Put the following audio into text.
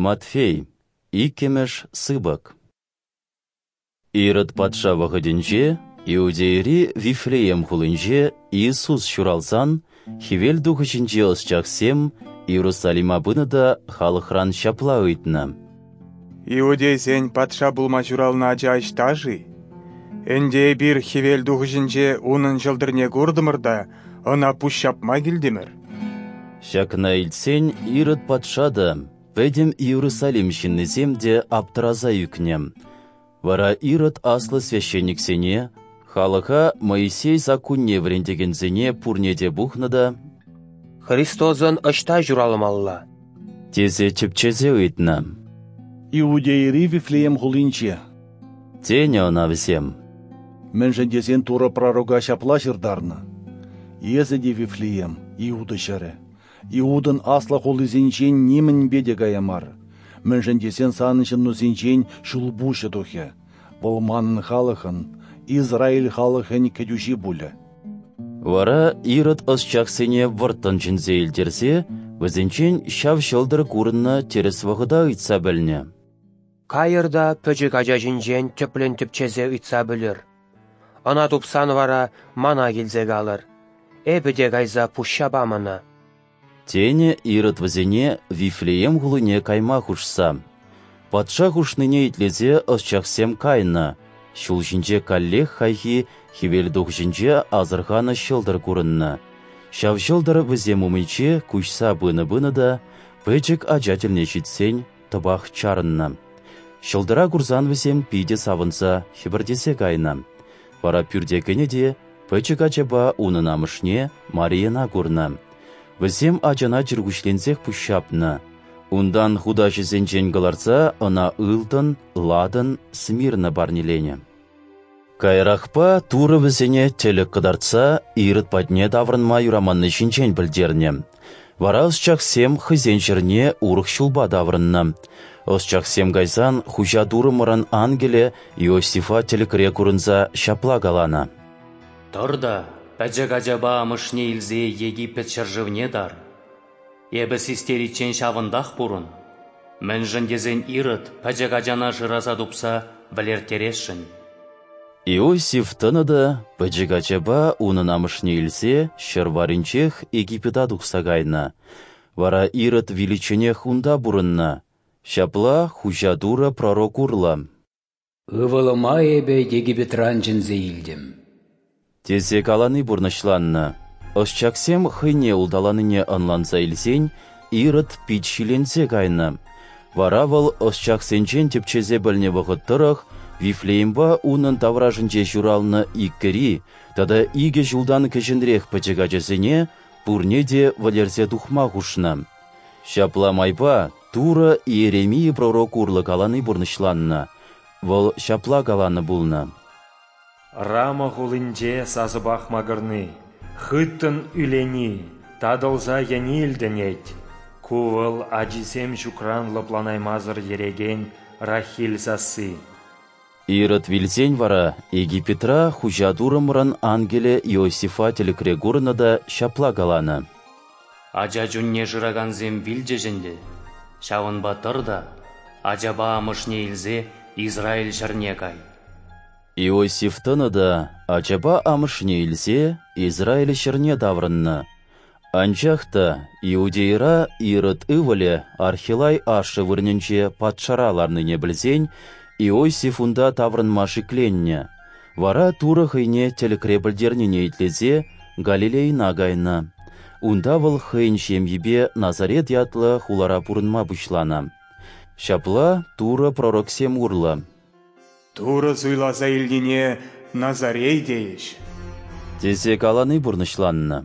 Матфей, иккӗмӗш сыпӑк. Ирод патша вӑхӑтӗнче Иудейӑри Вифлеем хулинче Иисус ҫуралсан хӗвел тухӑҫӗнчи ӑсчахсем Иерусалима пынӑ та халӑхран ҫапла ыйтнӑ: Иудейсен патша пулма ҫуралнӑ ача ӑҫта-ши? Ӗнтӗ эпир хӗвел тухӑҫӗнче унӑн ҫӑлтӑрне куртӑмӑр та ӑна пуҫҫапма килтӗмӗр. Ҫакна илтсен Ирод патша та, пӗтӗм Иерусалим ҫыннисем те аптӑраса ӳкнӗ. Вара Ирод аслӑ священниксене, халӑха Моисей саккунне вӗрентекенсене пурне те пухнӑ та: «Христосӑн ӑҫта ҫуралмалла?» тесе тӗпчесе ыйтнӑ. «Иудейӑри Вифлеем хулинче», тенӗ ӑна вӗсем. «Мӗншӗн тесен Турӑ пророка ҫапла ҫыртарнӑ: Эсӗ те, Вифлеем, Иуда ҫӗрӗ, Иудӑн аслӑ хулисенчен нимӗнпе те кая мар, мӗншӗн тесен санӑн ҫыннусенчен ҫулпуҫӗ тухӗ, вӑл манӑн халӑхӑн, Израиль халӑхӗн кӗтӳҫи пулӗ». Вара Ирод ӑсчахсене вӑрттӑн чӗнсе илтерсе вӗсенчен ҫав ҫӑлтӑр курӑннӑ тӗрӗс вӑхӑта ыйтса пӗлнӗ. «Кайӑр та пӗчӗк ача ҫинчен тӗплӗн тӗпчесе ыйтса пӗлӗр. Ӑна тупсан вара мана килсе калӑр. Эпӗ те кайса пуҫҫапам ӑна». Тенӗ Ирод вӗсене Вифлеем хулине кайма хушса. Патша хушнине итлесе ӑсчахсем кайнӑ. Ҫул ҫинче каллех хайхи хӗвелтухӑҫӗнче асӑрханӑ ҫӑлтӑр курӑннӑ. Ҫав ҫӑлтӑр вӗсем умӗнче куҫса пынӑ-пынӑ та пӗчӗк ача тӗлне ҫитсен тӑпах чарӑннӑ. Ҫӑлтӑра курсан вӗсем питӗ савӑнса хӗпӗртесе кайнӑ. Вара пӳрте кӗнӗ те пӗчӗк ачапа унӑн амӑшне Марийӑна курнӑ. Вӗсем ачана чӗркуҫленсех пуҫҫапнӑ. Унтан хутаҫӗсенчен кӑларса ӑна ылтӑн, ладан, смирна парнеленӗ. Каярахпа Турӑ вӗсене тӗлӗк кӑтартса Ирод патне таврӑнма юраманни ҫинчен пӗлтернӗ. Вара ӑсчахсем хӑйсен ҫӗрне урӑх ҫулпа таврӑннӑ. Ӑсчахсем кайсан хуҫа Турӑмӑрӑн ангелӗ Иосифа тӗлӗкре курӑнса ҫапла каланӑ: «Тӑр та пӗчӗк ачапа амӑшне илсе Египет ҫӗршывне тар. Эпӗ систериччен ҫавӑнтах пурӑн. Мӗншӗн тесен Ирод пӗчӗк ачана шыраса тупса вӗлерттересшӗн». Иосиф тӑнӑ та пӗчӗк ачапа унӑн амӑшне илсе ҫӗр варринчех Египета тухса кайнӑ. Вара Ирод виличченех унта пурӑннӑ. Ҫапла хуҫа Турӑ пророк урлӑ: «Ывӑлӑма эпӗ Египетран чӗнсе илтӗм», тесе калани пурнӑҫланнӑ. Ӑсчахсем хӑйне улталанине ӑнланса илсен Ирод пит ҫиленсе кайнӑ. Вара вӑл ӑсчахсенчен тӗпчесе пӗлнӗ вӑхӑт тӑрӑх Вифлеемпа унӑн таврашӗнче ҫуралнӑ иккӗри тата 2 ҫултан кӗҫӗнрех пӗчӗк ачасене пурне те вӗлерсе тухма хушнӑ. Ҫапла майпа Турӑ Иеремия пророк урлӑ калани пурнӑҫланнӑ. Вӑл ҫапла каланӑ пулнӑ: «Рама хулинче сасӑпах макӑрни, хыттӑн ӳлени, татӑлса йӗни илтӗнет. Ку вӑл ачисем ҫукран лӑпланаймасӑр йӗрекен Рахиль сасси». Ирод вилсен вара Египетра хуҫа Турӑмӑрӑн ангелӗ Иосифа тӗлӗкре курнӑ та ҫапла каланӑ: «Ача чунне шыракансем вилчӗҫ ӗнтӗ, ҫавӑнпа тӑр та ачапа амӑшне илсе Израиль ҫӗрне кай». Иосиф тӑнӑ та ачапа амӑшне илсе Израиль ҫӗрне таврӑннӑ. Анчах та Иудейӑра Ирод ывӑлӗ Архилай ашшӗ вырӑнӗнче патшара ларнине пӗлсен Иосиф унта таврӑнма шикленнӗ. Вара Турӑ хӑйне тӗлӗкре пӗлтернине итлесе Галилейӑна кайнӑ. Унта вӑл хӑйӗн ҫемйипе Назарет ятлӑ хулара пурӑнма пуҫланӑ. Ҫапла Турӑ пророксем урлӑ: «Турӑ суйласа илнине Назарей тейӗҫ», тесе калани пурнӑҫланнӑ.